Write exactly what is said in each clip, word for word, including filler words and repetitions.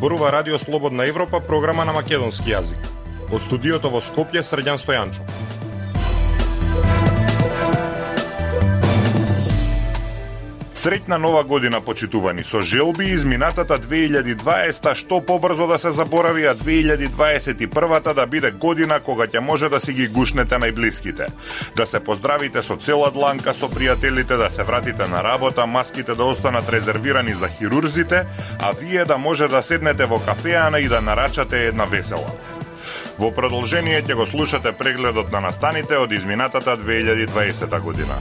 зборува Радио Слободна Европа, програма на македонски јазик. Од студиото во Скопје, Срđan Стојанчов. Среќна нова година, почитувани, со желби изминатата две илјади дваесета што побрзо да се заборави, а две илјади дваесет и прва да биде година кога ќе може да си ги гушнете најблиските. Да се поздравите со цела дланка со пријателите, да се вратите на работа, маските да останат резервирани за хирурзите, а вие да може да седнете во кафеана и да нарачате една весела. Во продолжение ќе го слушате прегледот на настаните од изминатата две илјади дваесета година.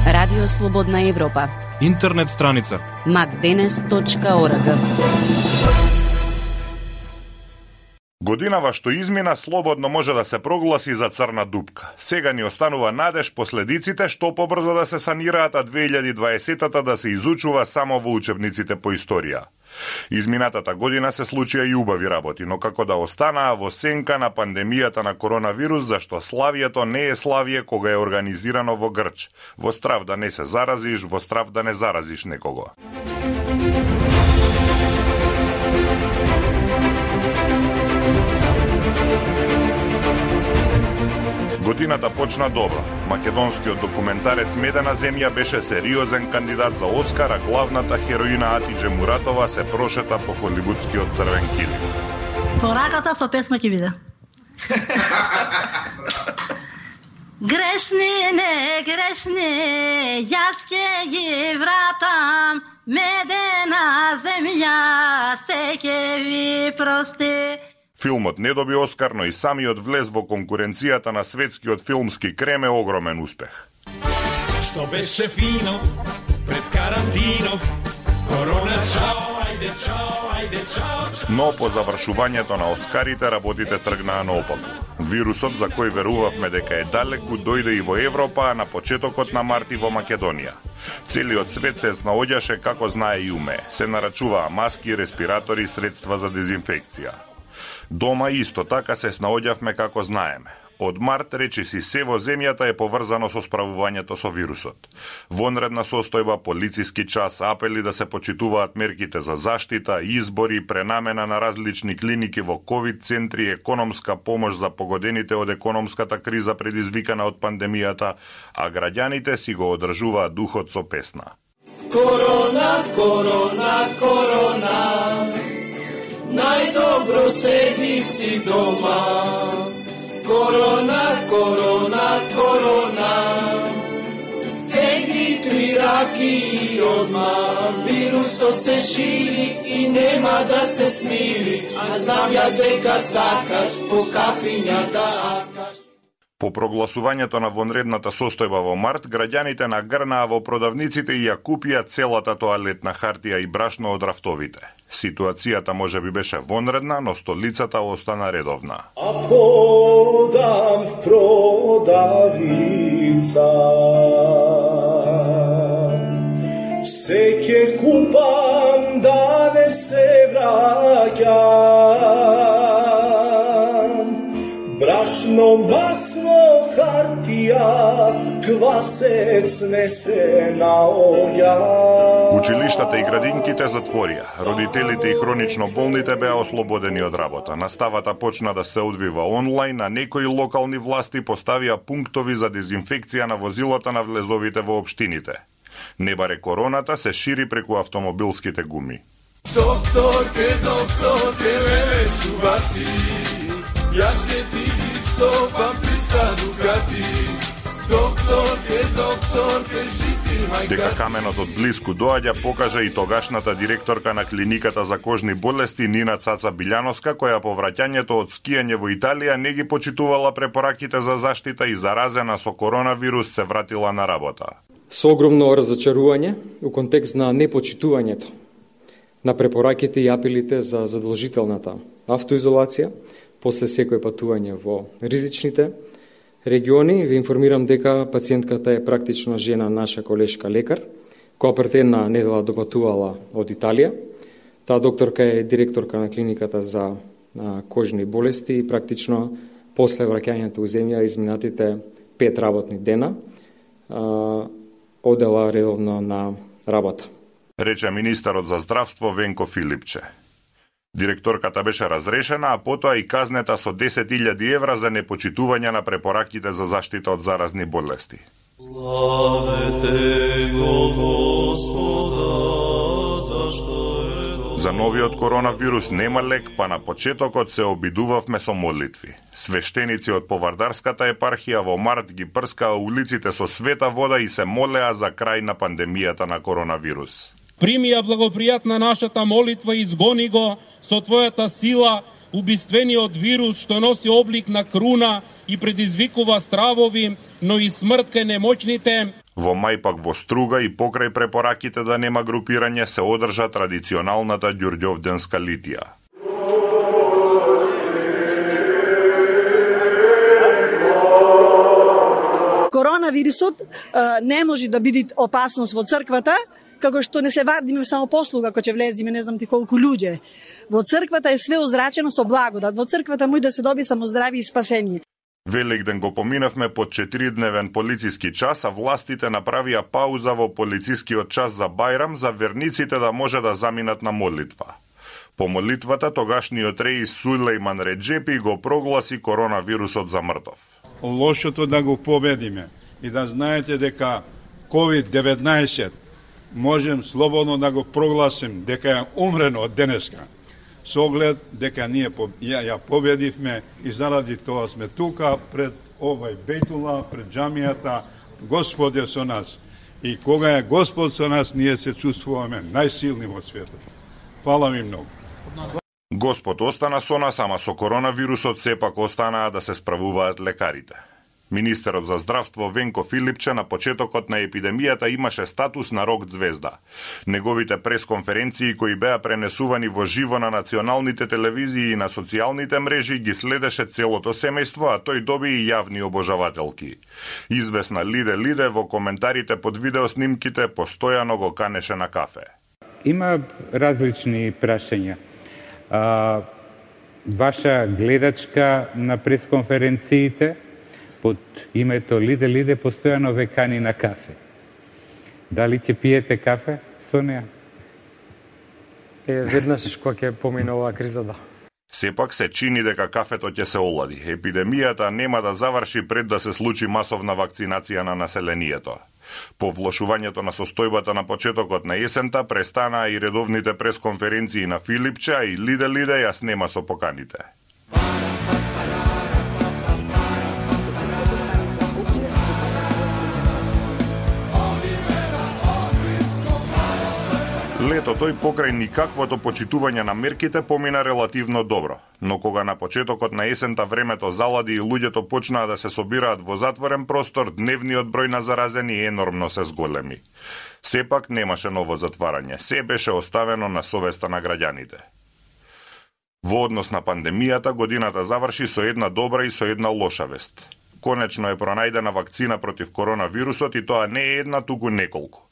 Радио Слободна Европа. Интернет страница макденес точка орг. Годинава што измина слободно може да се прогласи за црна дупка. Сега ни останува надеж последиците што побрзо да се санираат, а две илјади дваесета да се изучува само во учебниците по историја. Изминатата година се случија и убави работи, но како да останаа во сенка на пандемијата на коронавирус, зашто славието не е славие кога е организирано во Грч, во страв да не се заразиш, во страв да не заразиш некого. Годината почна добро. Македонскиот документарец Медена земја беше сериозен кандидат за Оскар, а главната хероина Атидже Муратова се прошета по холивудскиот црвен килим. Пораката со песма ќе биде. Грешни, не грешни, јас ќе ги вратам, Медена земја се ќе ви прости. Филмот не доби Оскар, но и самиот влез во конкуренцијата на светскиот филмски крем е огромен успех. Што беше фино пред карантинов, корона чао, ајде чао, ајде чао. Но по завршувањето на Оскарите работите тргнаа наопаку. Вирусот за кој верувавме дека е далеку дојде и во Европа, а на почетокот на март и во Македонија. Целиот свет се снаоѓаше како знае и уме. Се нарачуваа маски, респиратори, средства за дезинфекција. Дома исто така се снаоѓавме како знаеме. Од март речиси се во земјата е поврзано со справувањето со вирусот. Вонредна состојба, полициски час, апели да се почитуваат мерките за заштита, избори, пренамена на различни клиники во ковид центри, економска помош за погодените од економската криза предизвикана од пандемијата, а граѓаните си го одржуваат духот со песна. Корона, корона, корона, најдобро седи си дома. Корона, корона, корона, стегни три раки одма. Вирусот се шири и нема да се смири, а знам ја дека сакаш по кафињата акаш. По прогласувањето на вонредната состојба во март, граѓаните нагрнаа во продавниците и ја купија целата тоалетна хартија и брашно од рафтовите. Ситуацијата може би беше вонредна, но столицата остана редовна. А подам в продавница, се ќе купам да не се враќам. Брашно, масло, хартија, квасец не се наоѓа. Училиштата и градинките затворија. Родителите и хронично болните беа ослободени од работа. Наставата почна да се одвива онлайн, а некои локални власти поставија пунктови за дезинфекција на возилата на влезовите во општините. Не баре короната се шири преку автомобилските гуми. Докторке, докторке, леле шубати, јас ќе ти стопам писта Дукати. Докторке, докторке, жити мајка. Дека каменот од блиску доаѓа покажа и тогашната директорка на клиниката за кожни болести Нина Цаца Билјановска, која по враќањето од скијање во Италија не ги почитувала препораките за заштита и заразена со коронавирус се вратила на работа. Со огромно разочарување у контекст на непочитувањето на препораките и апелите за задолжителната автоизолација после секој патување во ризичните региони, ви информирам дека пациентката е практично жена наша колешка лекар, која пред една недела допатувала од Италија. Таа докторка е директорка на клиниката за кожни болести и практично после враќањето у земја изминатите пет работни дена одела редовно на работа. рече министерот за здравство Венко Филипче. Директорката беше разрешена, а потоа и казнета со десет илјади евра за непочитување на препораките за заштита од заразни болести. Славете го Господа, зашто е... За новиот коронавирус нема лек, па на почетокот се обидувавме со молитви. Свештеници од Повардарската епархија во март ги прскаа улиците со света вода и се молеа за крај на пандемијата на коронавирус. Прими ја благопријатна нашата молитва и изгони го со Твојата сила, убиствениот вирус што носи облик на круна и предизвикува стравови, но и смрт кај немоќните. Во мај пак во Струга и покрај препораките да нема групирање се одржа традиционалната ѓурѓовденска литија. Коронавирусот а, не може да биде опасност во црквата, како што не се вадиме само послуга, ако ќе влезиме не знам ти колку луѓе. Во црквата е све озрачено со благодат. Во црквата може да се доби само здравје и спасение. Великден го поминавме под четиридневен полициски час, а властите направија пауза во полицискиот час за Бајрам за верниците да може да заминат на молитва. По молитвата тогашниот реис Сулејман Реджепи го прогласи коронавирусот за мртов. Лошото да го победиме и да знаете дека ковид деветнаесет можем слободно да го прогласим дека е умрено од денеска. Со оглед дека ние ја, ја победивме и заради тоа сме тука пред овај бејтула, пред џамијата. Господ е со нас. И кога е Господ со нас, ние се чувствуваме најсилни во светот. Фала ви многу. Господ остана со нас, ама со коронавирусот сепак останаа да се справуваат лекарите. Министерот за здравство Венко Филипче на почетокот на епидемијата имаше статус на рок звезда. Неговите пресконференции кои беа пренесувани во живо на националните телевизии и на социјалните мрежи ги следеше целото семејство, а тој доби и јавни обожавателки. Извесна Лиде Лиде во коментарите под видеоснимките постојано го канеше на кафе. Има различни прашања. А, ваша гледачка на пресконференциите под името Лиде Лиде постојано ве кани на кафе. Дали ќе пиете кафе со неа? Е, веднаш кога ќе помине оваа криза, да. Сепак се чини дека кафето ќе се олади. Епидемијата нема да заврши пред да се случи масовна вакцинација на населението. По влошувањето на состојбата на почетокот на есента престанаа и редовните пресконференции на Филипче, и Лиде Лиде ја снема со поканите. Летото и покрај никаквото почитување на мерките помина релативно добро, но кога на почетокот на есента времето залади и луѓето почнаа да се собираат во затворен простор, дневниот број на заразени енормно се зголеми. Сепак немаше ново затварање, се беше оставено на совеста на граѓаните. Во однос на пандемијата, годината заврши со една добра и со една лоша вест. Конечно е пронајдена вакцина против коронавирусот и тоа не е една, туку неколку.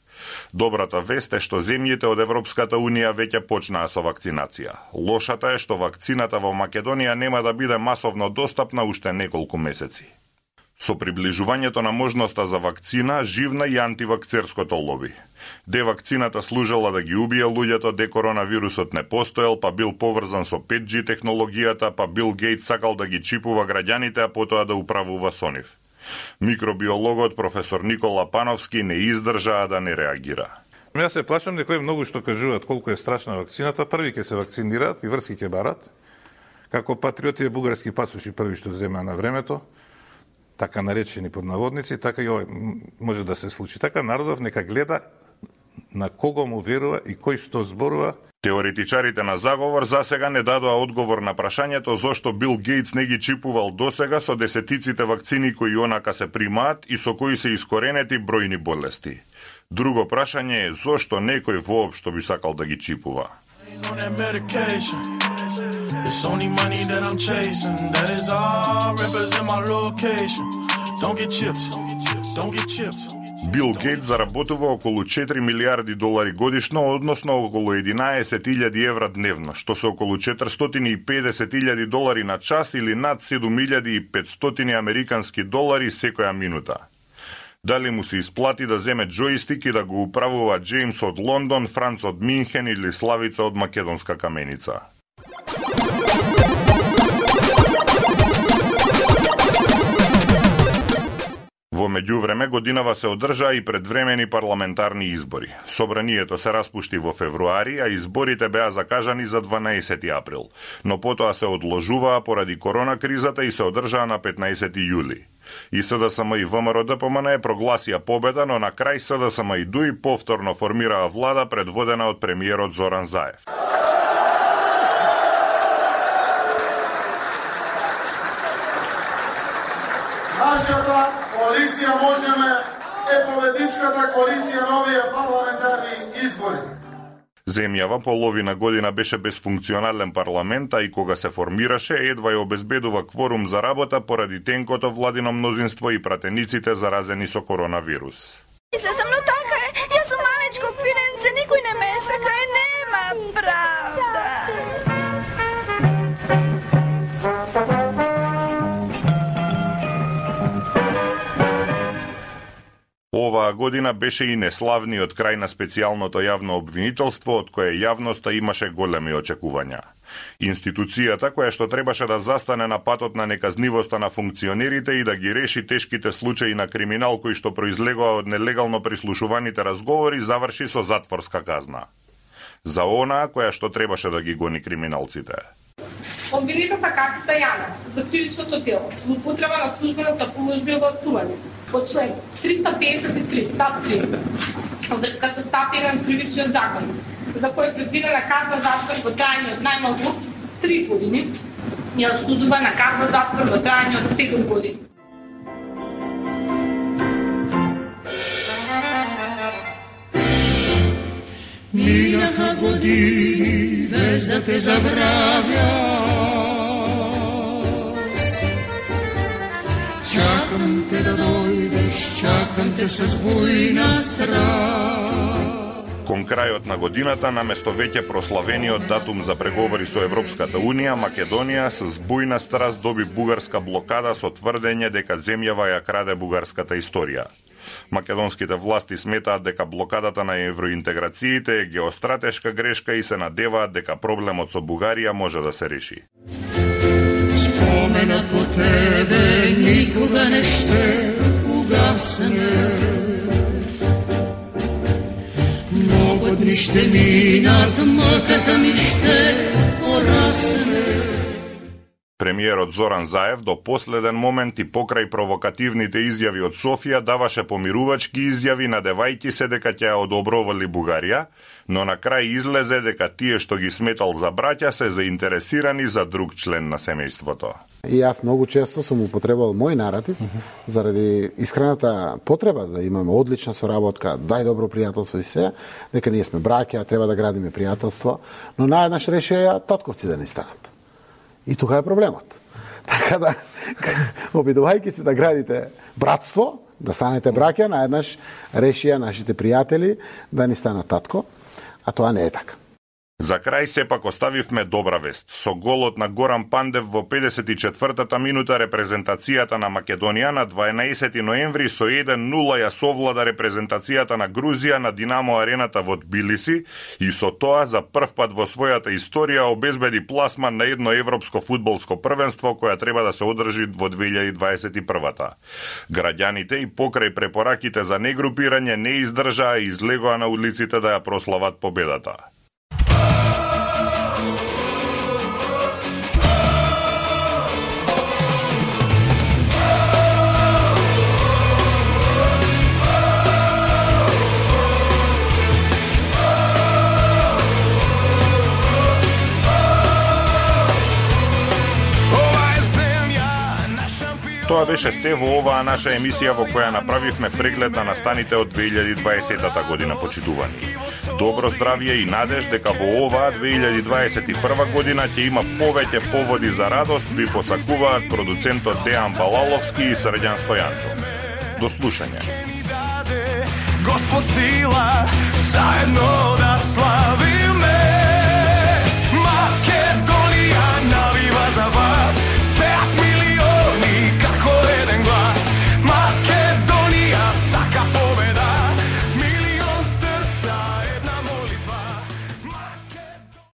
Добрата вест е што земјите од Европската Унија веќе почнаа со вакцинација. Лошата е што вакцината во Македонија нема да биде масовно достапна уште неколку месеци. Со приближувањето на можноста за вакцина, живна и антивакцерското лоби. Де вакцината служела да ги убие луѓето, де коронавирусот не постоел, па бил поврзан со пет џи технологијата, па Бил Гејт сакал да ги чипува граѓаните, а потоа да управува со нив. Микробиологот професор Никола Пановски не издржаа да не реагира. Јас се плашам дека многу што кажуваат колку е страшна вакцината, први ќе се вакцинираат и врски ќе барат. Како патриоти бугарски пасоши први што земаа на времето, така наречени под наводници, така и ова може да се случи. Така народов нека гледа на кого му верува и кој што зборува. Теоретичарите на заговор засега не дадоа одговор на прашањето зошто Бил Гејтс не ги чипувал досега со десетиците вакцини кои онака се примаат и со кои се искоренети бројни болести. Друго прашање е зошто некој воопшто би сакал да ги чипува. Бил Гејтс заработува околу четири милиарди долари годишно, односно околу единаесет илјади евра дневно, што се околу четиристотини и педесет илјади долари на час или над седум илјади и петстотини американски долари секоја минута. Дали му се исплати да земе джојстик и да го управува Джеймс од Лондон, Франц од Минхен или Славица од Македонска Каменица? Во меѓувреме годинава се одржаа и предвремени парламентарни избори. Собранието се распушти во февруари, а изборите беа закажани за дванаесети април, но потоа се одложуваа поради корона кризата и се одржаа на петнаесети јули. И СДСМ и ВМРО-ДПМН прогласија победа, но на крај СДСМ и ДУИ повторно формираа влада предводена од премиерот Зоран Заев. Нашата коалиција Можеме е победичката коалиција на овие парламентарни избори. Земјава половина година беше без функционален парламент, а и кога се формираше, едва ја обезбедува кворум за работа поради тенкото владино мнозинство и пратениците заразени со коронавирус. Мисля сам, но така е. Јас сум малечко пиренце, никој не ме сака и нема правда. Оваа година беше и неславниот крај на специјалното јавно обвинителство, од кое јавноста имаше големи очекувања. Институцијата која што требаше да застане на патот на неказнивоста на функционерите и да ги реши тешките случаи на криминал кои што произлегоа од нелегално прислушуваните разговори, заврши со затворска казна. За онаа која што требаше да ги гони криминалците. Обвинетата Катица Јана за кривичното дело, злоупотреба на службената поможба и властување по член триста песет и три став три од врска со став еден кривичниот закон, за кој е предвидена казна заствор во трајање од најмалку три години и осудува на казна заствор во трајање од седум години. Минаха години без да те забравя. Чакам те да дојдеш, чакам те со бујна страст. Кон крајот на годината, наместо веќе прославениот датум за преговори со Европската Унија, Македонија с бујна страст доби бугарска блокада со тврдење дека земјава ја краде бугарската историја. Македонските власти сметаат дека блокадата на евроинтеграциите е геостратешка грешка и се надеваат дека проблемот со Бугарија може да се реши. Спомена по тебе никога не ще угасне. Много дни ще минат, мъката ми ще порасне. Премиерот Зоран Заев до последен момент и покрај провокативните изјави од Софија даваше помирувачки изјави надевајќи се дека ќе ја одобровали Бугарија, но на крај излезе дека тие што ги сметал за браќа се заинтересирани за друг член на семејството. И јас многу често сум употребал мој наратив заради искрената потреба да имаме одлична соработка, дај добро пријателство и се, дека ние сме браќа, треба да градиме пријателство, но наеднаш решија татковци да не станат. И тука е проблемот. Така да, обидувајќи се да градите братство, да станете браќа, наеднаш решија нашите пријатели да ни станат татко, а тоа не е така. За крај сепак оставивме добра вест. Со голот на Горан Пандев во педесет и четвртата минута репрезентацијата на Македонија на дванаесети ноември со еден нула ја совлада репрезентацијата на Грузија на Динамо арената во Тбилиси и со тоа за прв пат во својата историја обезбеди пласман на едно европско фудбалско првенство која треба да се одржи во две илјади дваесет и прва. Граѓаните и покрај препораките за негрупирање не издржаа и излегоа на улиците да ја прослават победата. Тоа беше се во оваа наша емисија во која направивме преглед на настаните од две илјади дваесета година, почитувани. Добро здравје и надеж дека во оваа две илјади дваесет и прва година ќе има повеќе поводи за радост, ви посакуваат продуцентот Дејан Балаловски и Срđan Стојанчо. До слушање. Господ сила, заедно да слави.